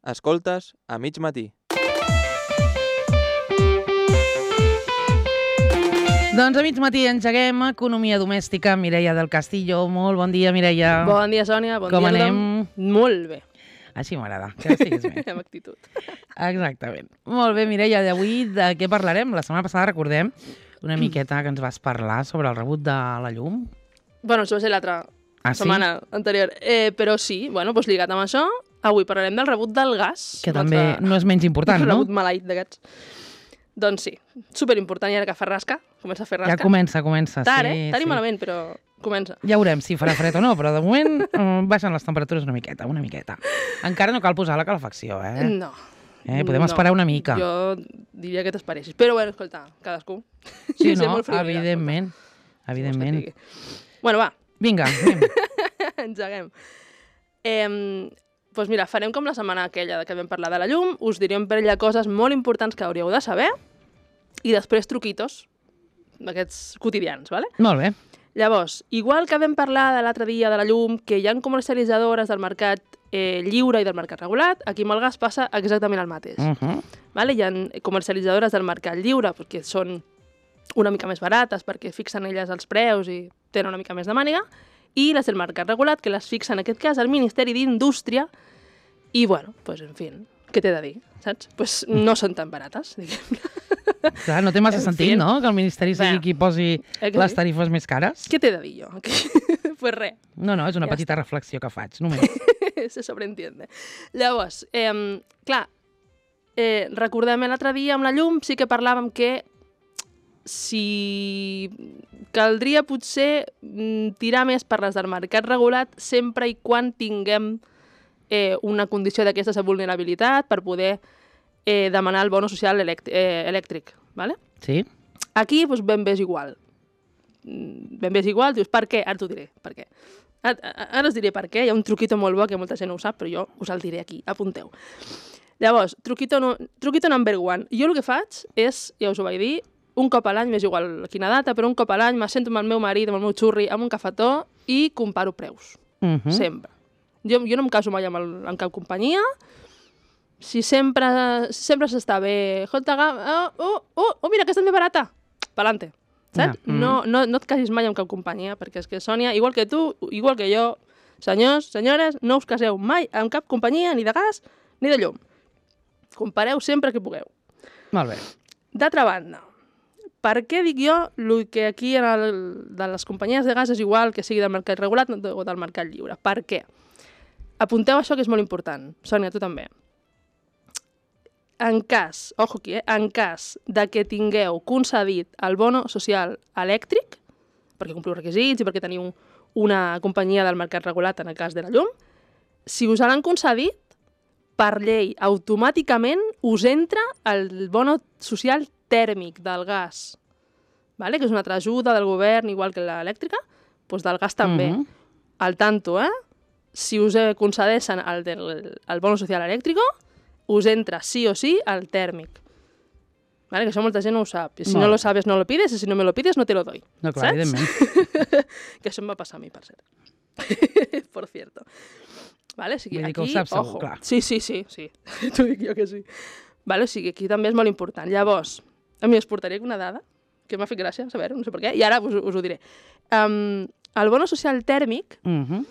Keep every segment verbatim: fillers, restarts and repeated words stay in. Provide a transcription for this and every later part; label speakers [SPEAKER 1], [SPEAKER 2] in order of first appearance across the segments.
[SPEAKER 1] Escoltes a mig matí.
[SPEAKER 2] Doncs a mig matí engeguem Economia Domèstica. Mireia del Castillo, molt bon dia, Mireia.
[SPEAKER 3] Bon dia, Sònia. Bon
[SPEAKER 2] Com
[SPEAKER 3] dia,
[SPEAKER 2] anem?
[SPEAKER 3] Tothom. Molt bé.
[SPEAKER 2] Així m'agrada, que estiguis bé.
[SPEAKER 3] Amb actitud.
[SPEAKER 2] Exactament. Molt bé, Mireia, d'avui de què parlarem? La setmana passada, recordem, una miqueta que ens vas parlar sobre el rebut de la llum.
[SPEAKER 3] Bueno, això va ser l'altra
[SPEAKER 2] Ah, sí?
[SPEAKER 3] setmana anterior. Eh, però sí, bueno, doncs lligat amb això, avui parlarem del rebut del gas.
[SPEAKER 2] Que també no és menys important,
[SPEAKER 3] el
[SPEAKER 2] no?
[SPEAKER 3] rebut maleït d'aquests. Doncs sí, superimportant, i ara que fa rasca, comença a fer rasca.
[SPEAKER 2] Ja comença, comença.
[SPEAKER 3] Tard,
[SPEAKER 2] sí,
[SPEAKER 3] eh? Tard
[SPEAKER 2] sí.
[SPEAKER 3] i malament, però comença.
[SPEAKER 2] Ja veurem si farà fred o no, però de moment eh, baixen les temperatures una miqueta, una miqueta. Encara no cal posar la calefacció, eh?
[SPEAKER 3] No.
[SPEAKER 2] eh podem
[SPEAKER 3] no.
[SPEAKER 2] esperar una mica.
[SPEAKER 3] Jo diria que t'esperessis. Però bueno, escolta, cadascú.
[SPEAKER 2] Sí,
[SPEAKER 3] Jo sé
[SPEAKER 2] no?
[SPEAKER 3] molt friolera,
[SPEAKER 2] Evidentment.
[SPEAKER 3] escolta.
[SPEAKER 2] Evidentment.
[SPEAKER 3] Vols que et digui? Bueno, va,
[SPEAKER 2] Vinga, anem.
[SPEAKER 3] engeguem. Eh, doncs mira, farem com la setmana aquella que vam parlar de la llum, us direm per ella coses molt importants que hauríeu de saber i després truquitos d'aquests quotidians, ¿vale?
[SPEAKER 2] Molt bé.
[SPEAKER 3] Llavors, igual que vam parlar de l'altre dia de la llum, que hi ha comercialitzadores del mercat eh, lliure i del mercat regulat, aquí amb el gas passa exactament el mateix.
[SPEAKER 2] Uh -huh.
[SPEAKER 3] Vale? Hi ha comercialitzadores del mercat lliure perquè són una mica més barates, perquè fixen elles els preus i tenen una mica més de màniga, i les del mercat regulat, que les fixa en aquest cas el Ministeri d'Indústria, i bueno, pues, en fi, què t'he de dir, saps? Pues no són tan barates, diguem.
[SPEAKER 2] Clar, no té massa
[SPEAKER 3] En
[SPEAKER 2] sentit,
[SPEAKER 3] fi.
[SPEAKER 2] no?, que el Ministeri sigui
[SPEAKER 3] Bé,
[SPEAKER 2] qui posi
[SPEAKER 3] eh que
[SPEAKER 2] les
[SPEAKER 3] sí?
[SPEAKER 2] tarifes més cares.
[SPEAKER 3] Què t'he de dir jo? Pues res.
[SPEAKER 2] No, no, és una
[SPEAKER 3] Ja
[SPEAKER 2] petita reflexió que faig, només.
[SPEAKER 3] Se sobreentiende. Llavors, eh, clar, eh, recordem l'altre dia amb la llum, sí que parlàvem que si caldria potser mm, tirar més per les del mercat regulat sempre i quan tinguem eh, una condició d'aquestes de vulnerabilitat per poder eh, demanar el bono social elect eh, elèctric, ¿vale?
[SPEAKER 2] Sí?
[SPEAKER 3] Aquí doncs, ben bé és igual. Mm, Ben bé és igual, dius, per què? Ara t'ho diré, per què. Ara, ara us diré per què, hi ha un truquito molt bo que molta gent no ho sap, però jo us el diré aquí, apunteu. Llavors, truquito, no, truquito number one. Jo el que faig és, ja us ho vaig dir, un cop a l'any, m'és igual quina data, però un cop a l'any m'assento amb el meu marit, amb el meu xurri, amb un cafetó i comparo preus.
[SPEAKER 2] Uh -huh.
[SPEAKER 3] Sempre. Jo, jo no em caso mai amb, el, amb cap companyia. Si sempre sempre s'està bé... Escolta, oh, oh, oh, oh, mira, aquesta és més barata. Pa'lante. Saps?
[SPEAKER 2] Ja, mm.
[SPEAKER 3] No, no, no et casis mai amb cap companyia, perquè és que, Sònia, igual que tu, igual que jo, senyors, senyores, no us caseu mai amb cap companyia, ni de gas, ni de llum. Compareu sempre que pugueu.
[SPEAKER 2] Molt bé.
[SPEAKER 3] D'altra banda, per què dic jo el que aquí en el, de les companyies de gas és igual que sigui del mercat regulat o del mercat lliure? Per què? Apunteu això que és molt important. Sònia, tu també. En cas, ojo aquí, eh? En cas de que tingueu concedit el bono social elèctric, perquè compliu requisits i perquè teniu una companyia del mercat regulat en el cas de la llum, si us l'han concedit, per llei, automàticament us entra el bono social tèrmic del gas, vale? Que és una altra ajuda del govern, igual que l'elèctrica, doncs del gas també.
[SPEAKER 2] Mhm.
[SPEAKER 3] Al tanto, eh? Si us concedeixen el, del, el bono social elèctric, us entra sí o sí el tèrmic. Vale? Que això molta gent no ho sap. I si
[SPEAKER 2] Molt
[SPEAKER 3] no
[SPEAKER 2] bé.
[SPEAKER 3] lo sabes, no lo pides, i si no me lo pides, no te lo doy.
[SPEAKER 2] No, clar,
[SPEAKER 3] Saps?
[SPEAKER 2] evidentment.
[SPEAKER 3] Que això em va passar a mi, per cert. Por cierto. Vale? O sigui,
[SPEAKER 2] Vull dir que ho
[SPEAKER 3] aquí,
[SPEAKER 2] saps segur,
[SPEAKER 3] ojo.
[SPEAKER 2] clar.
[SPEAKER 3] Sí, sí, sí, sí. T'ho dic jo que sí. Vale? O sigui, aquí també és molt important. Llavors, a mi us portaré una dada que m'ha fet gràcia, saber, no sé per què, i ara us, us ho diré. Um, el bono social tèrmic,
[SPEAKER 2] Uh -huh.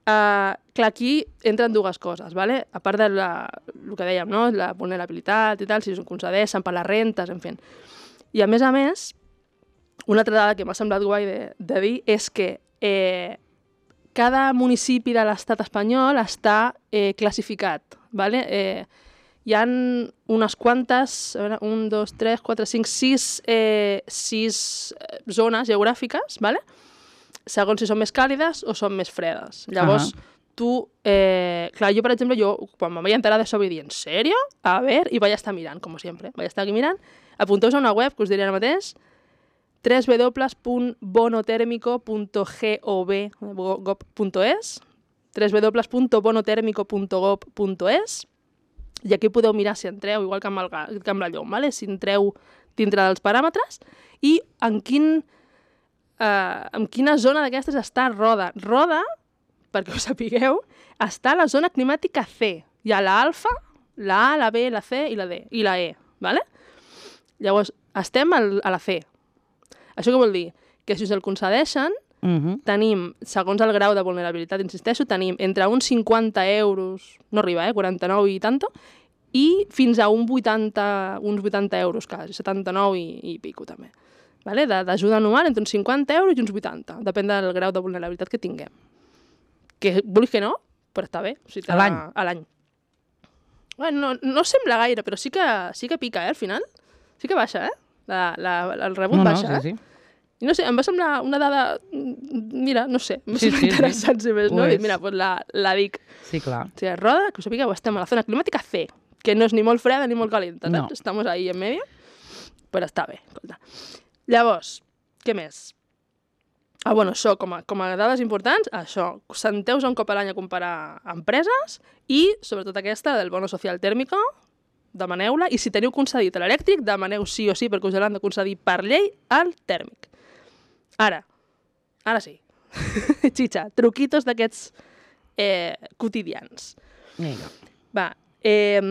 [SPEAKER 3] Uh, clar, aquí entren dues coses, ¿vale? A part de la, el que dèiem, no? La vulnerabilitat i tal, si us ho concedeixen per les rentes, en fi. I a més a més, una altra dada que m'ha semblat guai de, de dir és que eh, cada municipi de l'estat espanyol està eh, classificat, ¿vale? Eh, hi ha unes quantes, a veure, un, dos, tres, quatre, cinc, sis, eh, sis zones geogràfiques, ¿vale? Segons si són més càlides o són més fredes. Llavors, uh -huh. tu... Eh, clar, jo, per exemple, jo, quan em vaig enterar d'això, vaig dir, ¿en sèrio? A ver, i vaig estar mirant, com sempre. Vaig estar aquí mirant. Apunteu-vos a una web, que us diré ara mateix, w w w punt bonotèrmico punt gov punt es w w w punt bonotèrmico punt gov punt es i aquí podeu mirar si entreu, igual que amb, el, que amb la llum, ¿vale? Si entreu dintre dels paràmetres i en quin... Uh, en quina zona d'aquestes està Roda. Roda, perquè ho sapigueu, està a la zona climàtica C. Hi ha l'alfa, la A, la B, la C i la D, i la E, ¿vale? Llavors, estem al, a la C. Això què vol dir? Que si us el concedeixen,
[SPEAKER 2] Uh -huh.
[SPEAKER 3] tenim, segons el grau de vulnerabilitat, insisteixo, tenim entre uns cinquanta euros, no arriba, eh, quaranta-nou i tanto, i fins a un vuitanta, uns vuitanta euros quasi, setanta-nou i, i pico també. Vale? D'ajuda anual entre uns cinquanta euros i uns vuitanta, depèn del grau de vulnerabilitat que tinguem. Que vulguis que no, però està bé. O sigui,
[SPEAKER 2] a l'any?
[SPEAKER 3] A l'any. Bueno, no, no sembla gaire, però sí que, sí que pica, eh, al final. Sí que baixa, eh? La, la, el rebut
[SPEAKER 2] no,
[SPEAKER 3] baixa,
[SPEAKER 2] no, sí,
[SPEAKER 3] eh?
[SPEAKER 2] sí.
[SPEAKER 3] I no sé, em va semblar una dada... Mira, no sé, em va
[SPEAKER 2] Sí,
[SPEAKER 3] semblar
[SPEAKER 2] sí,
[SPEAKER 3] interessant,
[SPEAKER 2] sí.
[SPEAKER 3] si més,
[SPEAKER 2] Ho
[SPEAKER 3] no? I
[SPEAKER 2] és.
[SPEAKER 3] mira, doncs la, la dic.
[SPEAKER 2] Sí, clar.
[SPEAKER 3] O sigui, roda, que us sapigueu, estem a la zona climàtica C, que no és ni molt freda ni molt calenta, saps?
[SPEAKER 2] No.
[SPEAKER 3] Estamos ahí en medio, però està bé, escolta. Llavors, què més? Ah, bueno, això, com a, com a dades importants, això, senteu-vos un cop a l'any a comparar empreses i, sobretot aquesta, del bono social tèrmico, demaneu-la, i si teniu concedit l'elèctric, demaneu sí o sí, perquè us l'han de concedir per llei al tèrmic. Ara, ara sí. Xitxa, truquitos d'aquests eh, quotidians.
[SPEAKER 2] Vinga.
[SPEAKER 3] Va, eh,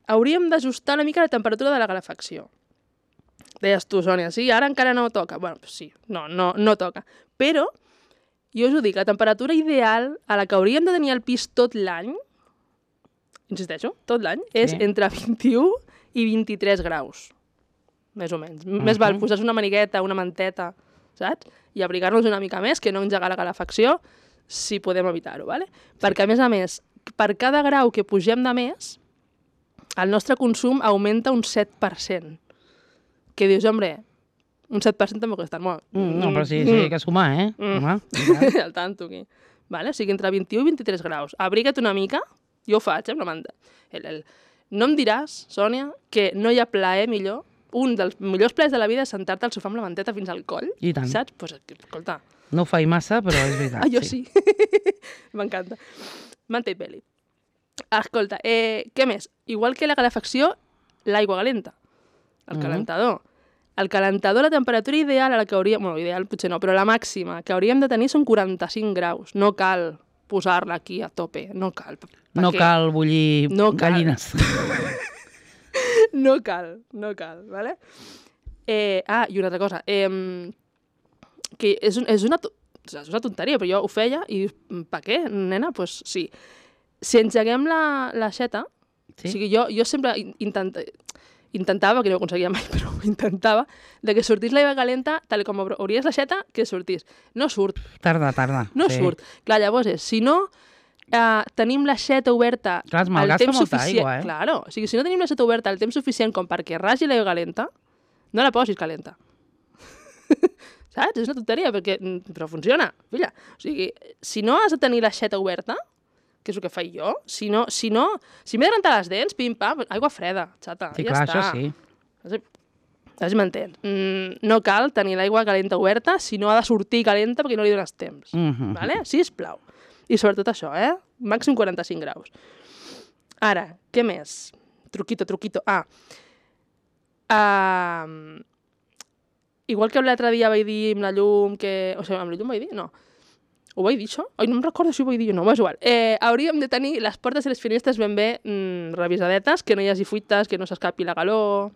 [SPEAKER 3] hauríem d'ajustar una mica la temperatura de la calefacció. Deies tu, Sònia, sí, ara encara no toca. Bueno, pues sí, no, no, no toca. Però, jo us ho dic, la temperatura ideal a la que hauríem de tenir el pis tot l'any, insisteixo, tot l'any, és
[SPEAKER 2] Sí.
[SPEAKER 3] entre vint-i-u i vint-i-tres graus. Més o menys. Uh -huh. Més val posar una manigueta, una manteta, saps? I abrigar-nos una mica més, que no engegar la calefacció, si podem evitar-ho, ¿vale? Perquè, a més a més, per cada grau que pugem de més, el nostre consum augmenta un set per cent. Que dius, hombre, un set per cent també costa molt.
[SPEAKER 2] Mm, no, però sí, sí, hay que sumar, eh?
[SPEAKER 3] Mm.
[SPEAKER 2] Home, i tant.
[SPEAKER 3] Al tanto, aquí. Vale? O sigui, entre vint-i-u i vint-i-tres graus. Abriga't una mica, jo ho faig, eh, amb la manta. El, el... No em diràs, Sònia, que no hi ha plaer millor. Un dels millors plaers de la vida és sentar-te al sofà amb la manteta fins al coll.
[SPEAKER 2] I tant.
[SPEAKER 3] Saps? Pues, escolta,
[SPEAKER 2] No ho faig massa, però és veritat.
[SPEAKER 3] ah, jo sí. M'encanta. Manta i peli. Escolta, eh, què més? Igual que la calefacció, l'aigua calenta. El
[SPEAKER 2] Mhm.
[SPEAKER 3] calentador. El calentador, la temperatura ideal a la que hauríem... Bueno, ideal potser no, però la màxima que hauríem de tenir són quaranta-cinc graus. No cal posar-la aquí a tope. No cal. Per
[SPEAKER 2] No
[SPEAKER 3] què?
[SPEAKER 2] cal bullir
[SPEAKER 3] No cal.
[SPEAKER 2] gallines.
[SPEAKER 3] No cal, no cal, ¿vale? Eh, ah, i una altra cosa. Eh, que és, un, és, una, to- és una tonteria, però jo ho feia i dius, per què, nena? Doncs pues, sí. Si engeguem la, la xeta,
[SPEAKER 2] Sí?
[SPEAKER 3] o sigui, jo, jo sempre in- intenta, intentava, que no ho aconseguia mai, però ho intentava, de que sortís l'aigua calenta, tal com obro- obries la xeta, que sortís. No surt,
[SPEAKER 2] Tarda, tarda.
[SPEAKER 3] no
[SPEAKER 2] sí.
[SPEAKER 3] surt. Clar, llavors és, si no eh, tenim la xeta oberta
[SPEAKER 2] Clar, es
[SPEAKER 3] al
[SPEAKER 2] malgasta
[SPEAKER 3] temps
[SPEAKER 2] molta
[SPEAKER 3] suficient...
[SPEAKER 2] aigua, eh?
[SPEAKER 3] Claro, o sigui, si no tenim la xeta oberta al temps suficient com perquè ragi l'aigua calenta, no la posis calenta. Saps? És una tonteria, perquè... mm, però funciona, filla. O sigui, si no has de tenir la xeta oberta, que és el que faig jo, si no... Si, no, si m'he de rentar les dents, pim-pam, aigua freda, xata,
[SPEAKER 2] Sí,
[SPEAKER 3] ja
[SPEAKER 2] clar,
[SPEAKER 3] està.
[SPEAKER 2] això sí.
[SPEAKER 3] A veure si m'entens. Mm, no cal tenir l'aigua calenta oberta si no ha de sortir calenta perquè no li dones temps.
[SPEAKER 2] Mhm.
[SPEAKER 3] Vale? Sisplau. I sobretot això, eh? Màxim quaranta-cinc graus. Ara, què més? Truquito, truquito. Ah. Uh, igual que l'altre dia vaig dir amb la llum que... O sigui, amb la llum vaig dir? No. Ho vaig dir, això? Ai, no em recordo si ho vaig dir o no, és igual. Eh, hauríem de tenir les portes i les finestres ben bé mm, revisadetes, que no hi hagi fuites, que no s'escapi la calor...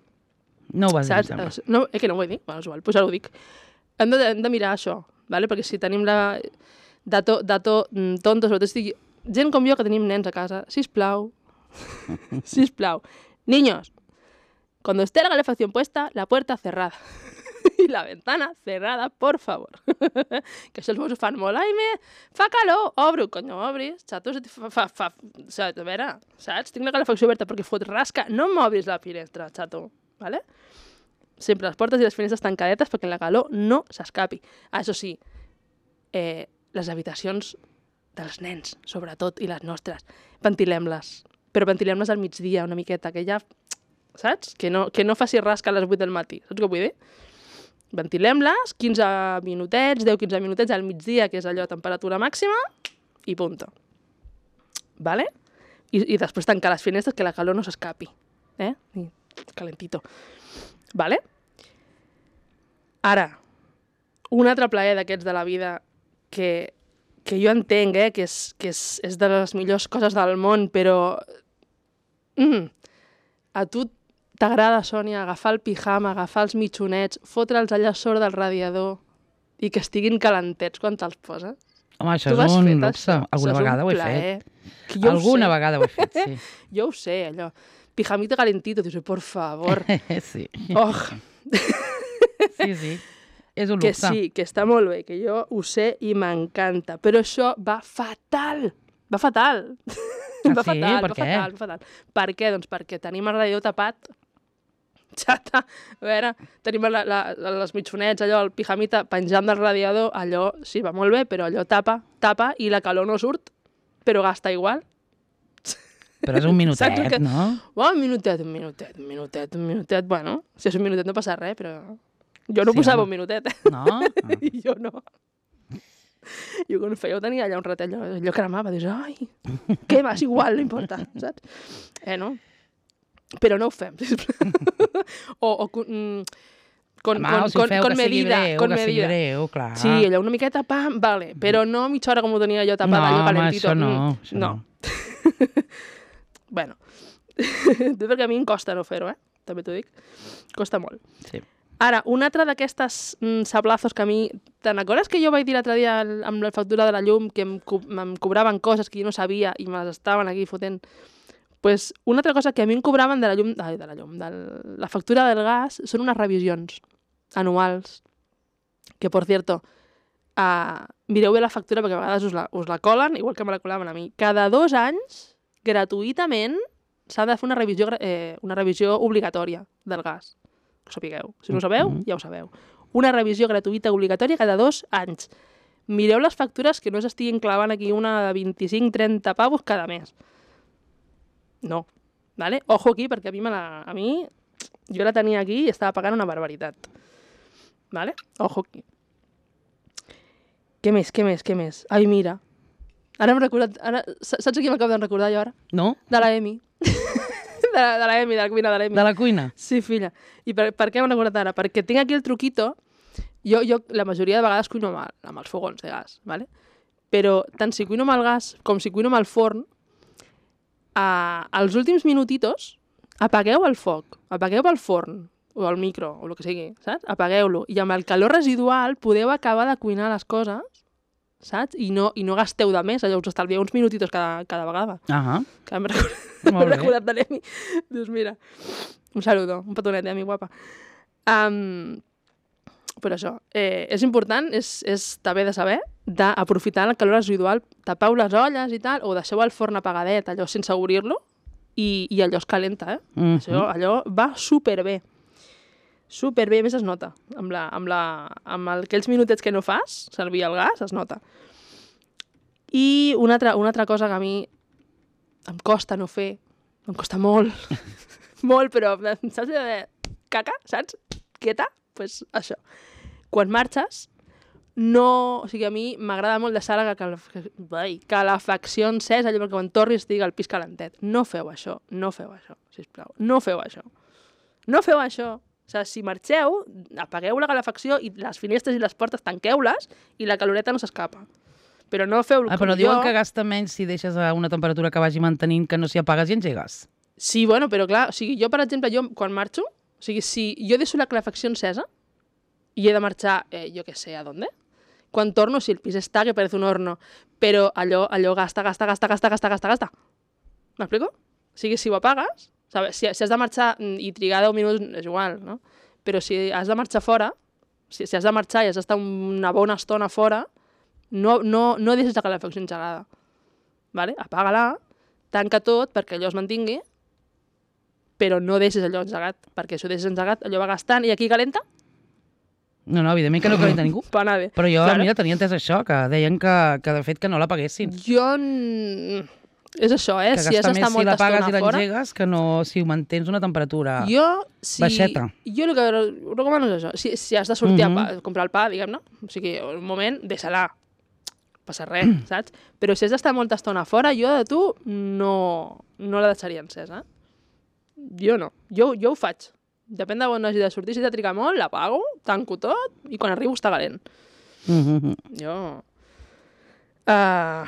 [SPEAKER 2] No ho vas dir, em
[SPEAKER 3] Saps?
[SPEAKER 2] sembla.
[SPEAKER 3] Eh, No, eh, que no ho he dit? Bueno, és igual, doncs ara ho dic. Hem de, hem de mirar això, ¿vale? Perquè si tenim la... Dato, dato mm, tonto, sobretot si digui... Gent com jo que tenim nens a casa, sisplau, sisplau. Niños, cuando esté la calefacción puesta, la puerta cerrada. I la ventana cerrada, por favor. Que això els meus ho fan molt. Ai, me... fa calor, obro. Conyo, obris. Xato, se te fa... fa, fa... Saps? A veure, saps? Tinc la calefacció oberta perquè fot rasca. No m'obris la finestra, xato. ¿Vale? Sempre les portes i les finestres tancadetes perquè la calor no s'escapi. Ah, això sí, eh, les habitacions dels nens, sobretot, i les nostres, ventilem-les. Però ventilem-les al migdia, una miqueta, que ja... Saps? Que no, que no faci rasca a les vuit del matí. Saps què vull dir? Ventilem-les, quinze minutets, deu quinze minutets al migdia, que és allò, temperatura màxima, i punto. Vale? I, i després tancar les finestres, que la calor no s'escapi. Eh? I calentito. Vale? Ara, un altre plaer d'aquests de la vida que, que jo entenc, eh, que, és, que és, és de les millors coses del món, però Mm. A tu t'agrada, Sònia, agafar el pijama, agafar els mitjonets, fotre'ls allà sobre del radiador i que estiguin calentets quan te'ls poses?
[SPEAKER 2] Home, això
[SPEAKER 3] Tu
[SPEAKER 2] és
[SPEAKER 3] has
[SPEAKER 2] un
[SPEAKER 3] fet
[SPEAKER 2] luxe.
[SPEAKER 3] això?
[SPEAKER 2] Alguna
[SPEAKER 3] Això és
[SPEAKER 2] vegada
[SPEAKER 3] un
[SPEAKER 2] ho he
[SPEAKER 3] plaer.
[SPEAKER 2] fet.
[SPEAKER 3] Que jo ho
[SPEAKER 2] Alguna
[SPEAKER 3] sé.
[SPEAKER 2] vegada ho he fet, sí.
[SPEAKER 3] Jo ho sé, allò. Pijamita calentito, dius, por favor.
[SPEAKER 2] sí.
[SPEAKER 3] Oh,
[SPEAKER 2] Sí, sí. És un
[SPEAKER 3] que
[SPEAKER 2] luxe.
[SPEAKER 3] sí, que està molt bé, que jo ho sé i m'encanta. Però això va fatal. Va fatal.
[SPEAKER 2] Ah,
[SPEAKER 3] va
[SPEAKER 2] sí?
[SPEAKER 3] fatal,
[SPEAKER 2] Per
[SPEAKER 3] va
[SPEAKER 2] què?
[SPEAKER 3] fatal, va fatal. Per què? Doncs perquè tenim el radiador tapat. Xata. A veure, tenim la, la, les mitjonets, allò, el pijamita penjant del radiador, allò sí, va molt bé, però allò tapa, tapa i la calor no surt, però gasta igual.
[SPEAKER 2] Però és un minutet,
[SPEAKER 3] Saps el que-
[SPEAKER 2] no?
[SPEAKER 3] Oh, un minutet, un minutet, un minutet, un minutet. Bueno, si és un minutet no passa res, però... Jo no
[SPEAKER 2] Sí,
[SPEAKER 3] posava
[SPEAKER 2] home.
[SPEAKER 3] un minutet, eh?
[SPEAKER 2] No? Ah.
[SPEAKER 3] I jo no. Jo quan ho feia ho tenia allà un ratet, allò, allò cremava, dius, ai, què més, igual, no importa, saps? Eh, no? Però no ho fem, sisplau. o, o con, mm, con,
[SPEAKER 2] Home,
[SPEAKER 3] con,
[SPEAKER 2] o si ho
[SPEAKER 3] con,
[SPEAKER 2] feu,
[SPEAKER 3] con
[SPEAKER 2] que sigui
[SPEAKER 3] medida,
[SPEAKER 2] breu,
[SPEAKER 3] con
[SPEAKER 2] que sigui
[SPEAKER 3] medida.
[SPEAKER 2] breu, clar.
[SPEAKER 3] Sí, allò una miqueta, pam, vale, però no mitja hora com ho tenia jo tapat,
[SPEAKER 2] No,
[SPEAKER 3] allò
[SPEAKER 2] home,
[SPEAKER 3] calentito.
[SPEAKER 2] això no,
[SPEAKER 3] Mm,
[SPEAKER 2] això
[SPEAKER 3] no. bueno, tu perquè a mi em costa no fer-ho, eh? També t'ho dic. Costa molt.
[SPEAKER 2] Sí.
[SPEAKER 3] Ara, un altre d'aquestes mm, sablazos que a mi... Te'n recordes que jo vaig dir l'altre dia al- amb la factura de la llum que em, co em cobraven coses que jo no sabia i me les estaven aquí fotent? Pues una altra cosa que a mi em cobraven de la llum, ai, de la llum, de la factura del gas són unes revisions anuals. Que, por cierto, uh, mireu bé la factura perquè a vegades us la, us la colen, igual que me la colaven a mi. Cada dos anys, gratuïtament, s'ha de fer una revisió, eh, una revisió obligatòria del gas. Que ho sapigueu. Si no ho sabeu, ja ho sabeu. Una revisió gratuïta obligatòria cada dos anys. Mireu les factures que no s'estiguin clavant aquí una de vint-i-cinc trenta pavos cada mes. No. Vale? Ojo aquí, perquè a mi, me la, a mi jo la tenia aquí i estava pagant una barbaritat. Vale? Ojo aquí. Què més, què més, què més? Ai, mira. Ara m'he recordat... Ara, saps a qui m'acabo de recordar jo ara?
[SPEAKER 2] No?
[SPEAKER 3] De la Emi. de, la, de la Emi, de la cuina de la Emi.
[SPEAKER 2] De la cuina?
[SPEAKER 3] Sí, filla. I per, per què m'he recordat ara? Perquè tinc aquí el truquito. Jo, jo la majoria de vegades cuino amb, el, amb els fogons de gas, ¿vale? Però tant si cuino amb el gas com si cuino amb el forn, a, als últims minutitos apagueu el foc, apagueu el forn o el micro, o el que sigui, saps? Apagueu-lo. I amb el calor residual podeu acabar de cuinar les coses, saps? I no, i no gasteu de més, allò us estalvieu uns minutitos cada, cada vegada.
[SPEAKER 2] Ah,
[SPEAKER 3] Que m'he recordat,
[SPEAKER 2] Molt
[SPEAKER 3] m'he
[SPEAKER 2] bé.
[SPEAKER 3] recordat de l'Emi. Dius, mira, un saludo, un petonet, Emi, guapa. Um, però això, eh, és important, és, és també de saber, d'aprofitar el calor residual, tapeu les olles i tal, o deixeu el forn apagadet, allò sense obrir-lo, i, i allò es calenta, eh?
[SPEAKER 2] Mhm.
[SPEAKER 3] Això, allò va superbé. Superbé, a més es nota. Amb, la, amb, la, amb el, aquells minutets que no fas, servir el gas, es nota. I una altra, una altra cosa que a mi em costa no fer, em costa molt, molt, però saps de caca, saps? Quieta? Doncs pues això. Quan marxes, no... O sigui, a mi m'agrada molt deixar la calaf... Ai, calefacció encesa, allò perquè quan tornis estigui el pis calentet. No feu això, no feu això, sisplau. No feu això. No feu això. O sigui, si marxeu, apagueu la calefacció i les finestres i les portes tanqueu-les i la caloreta no s'escapa. Però no feu
[SPEAKER 2] Ah,
[SPEAKER 3] com
[SPEAKER 2] però
[SPEAKER 3] jo.
[SPEAKER 2] diuen que gasta menys si deixes a una temperatura que vagi mantenint que no si apagues i engegues.
[SPEAKER 3] Sí, bueno, però clar, o sigui, jo, per exemple, jo quan marxo, o sigui, si jo deixo la calefacció encesa i he de marxar, eh, jo què sé, a dónde? Quan torno, si el pis està, que parece un horno, però allò, allò gasta, gasta, gasta, gasta, gasta, gasta, gasta. M'explico? O sigui, si ho apagues, sabes, si, si has de marxar i trigar deu minuts, és igual, no? Però si has de marxar fora, si, si has de marxar i has d'estar una bona estona fora, no, no, no deixes la calefacció engegada. Vale? Apaga-la, tanca tot perquè allò es mantingui, però no deixes allò engegat, perquè si ho deixes engegat, allò va gastant, i aquí calenta,
[SPEAKER 2] No, no, evidentment que no calenta ningú.
[SPEAKER 3] va anar bé.
[SPEAKER 2] Però jo,
[SPEAKER 3] Claro.
[SPEAKER 2] mira, tenia entès això, que deien que, que de fet que no l'apaguessin.
[SPEAKER 3] Jo... n- És això, eh?
[SPEAKER 2] Que
[SPEAKER 3] Si has
[SPEAKER 2] gasta
[SPEAKER 3] d'estar
[SPEAKER 2] més si
[SPEAKER 3] molta
[SPEAKER 2] l'apagues
[SPEAKER 3] estona
[SPEAKER 2] i
[SPEAKER 3] fora...
[SPEAKER 2] l'engegues que no si ho mantens una temperatura
[SPEAKER 3] Jo, si...
[SPEAKER 2] baixeta.
[SPEAKER 3] Jo el que recomano és això. Si, si has de sortir
[SPEAKER 2] Mhm.
[SPEAKER 3] a, pa, a comprar el pa, diguem-ne, o sigui, un moment, deixa-la. No passa res, saps? Però si has d'estar molta estona fora, jo de tu no, no la deixaria encesa. Jo no. Jo, jo ho faig. Depèn de on hagi de sortir. Si he de trigar molt, l'apago, tanco tot, i quan arribo està calent.
[SPEAKER 2] Mhm.
[SPEAKER 3] Jo... Uh,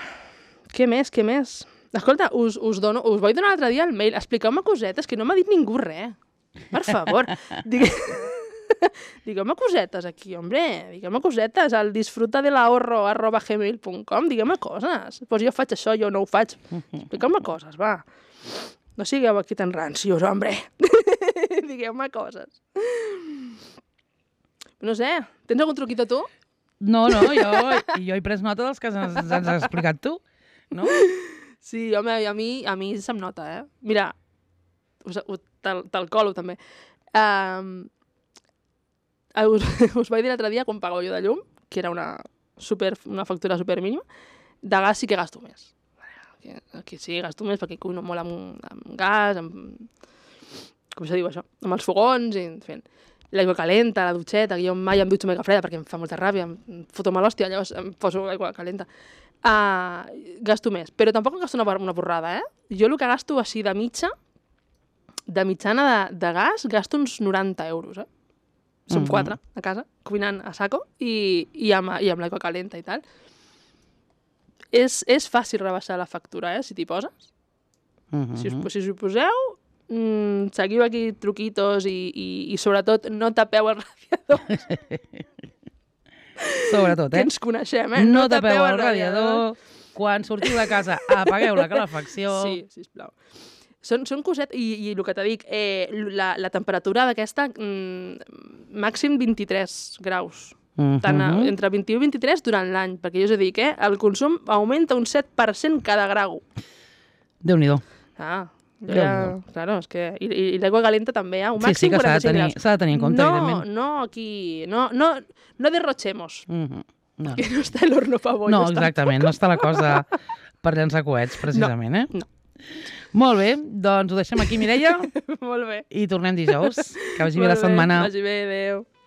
[SPEAKER 3] què més, què més? Escolta, us, us, dono, us vaig donar l'altre dia el mail. Expliqueu-me cosetes, que no m'ha dit ningú res. Per favor. Digue... Digueu-me cosetes aquí, hombre. Digueu-me cosetes al disfrutadelahorro arroba gmail punt com. Digueu-me coses. Pues jo faig això, jo no ho faig. Expliqueu-me coses, va. No sigueu aquí tan rancios, hombre. Digueu-me coses. No sé, tens algun truquito tu?
[SPEAKER 2] No, no, jo, jo he pres nota dels que ens, ens has explicat tu, no?
[SPEAKER 3] Sí, home, a mi, a mi se'm nota, eh? Mira, us, te'l te colo també. Um, us, us vaig dir l'altre dia, quan pagava jo de llum, que era una, super, una factura super mínima, de gas sí que gasto més. Aquí, aquí sí, gasto més perquè cuino molt amb, amb gas, amb... com se diu això? Amb els fogons i fent... L'aigua calenta, la dutxeta, que jo mai em dutxo amb aigua freda perquè em fa molta ràbia, em foto mal hòstia, llavors em poso aigua calenta. Uh, gasto més, però tampoc em gasto una, una borrada, eh? Jo el que gasto així de mitja, de mitjana de, de gas, gasto uns noranta euros, eh? Som mm-hmm. quatre a casa, cuinant a saco i, i amb, i amb l'aigua calenta i tal. És, és fàcil rebaixar la factura, eh? Si t'hi poses. Mm-hmm. Si, us, si us hi poseu... Mm, seguiu aquí truquitos i, i, i sobretot no tapeu el radiador.
[SPEAKER 2] Sobretot, eh?
[SPEAKER 3] Que ens coneixem, eh?
[SPEAKER 2] No, no tapeu, tapeu el radiador. radiador. Quan sortiu de casa, apagueu la calefacció. Sí,
[SPEAKER 3] sisplau. Són, són cosetes, i, i el que te dic, eh, la, la temperatura d'aquesta, mm, màxim vint-i-tres graus. Uh-huh. Tant a, entre vint-i-u i vint-i-tres durant l'any, perquè jo us dic, eh, el consum augmenta un set per cent cada grau.
[SPEAKER 2] Déu-n'hi-do.
[SPEAKER 3] Ah, ja, claro, és que... I, i l'aigua calenta també, eh? Un
[SPEAKER 2] sí, sí,
[SPEAKER 3] màxim
[SPEAKER 2] que s'ha de,
[SPEAKER 3] quaranta-cinc
[SPEAKER 2] tenir, s'ha de tenir en compte,
[SPEAKER 3] no,
[SPEAKER 2] evidentment.
[SPEAKER 3] No, aquí... No, no, no derrochemos.
[SPEAKER 2] Uh-huh. No.
[SPEAKER 3] Que no està l'horno pa bollos.
[SPEAKER 2] No, exactament, tampoc. No està la cosa per llançar coets, precisament,
[SPEAKER 3] no,
[SPEAKER 2] eh?
[SPEAKER 3] No.
[SPEAKER 2] Molt bé, doncs ho deixem aquí, Mireia.
[SPEAKER 3] Molt bé.
[SPEAKER 2] I tornem dijous. Que vagi bé la setmana.
[SPEAKER 3] Vagi bé, adéu.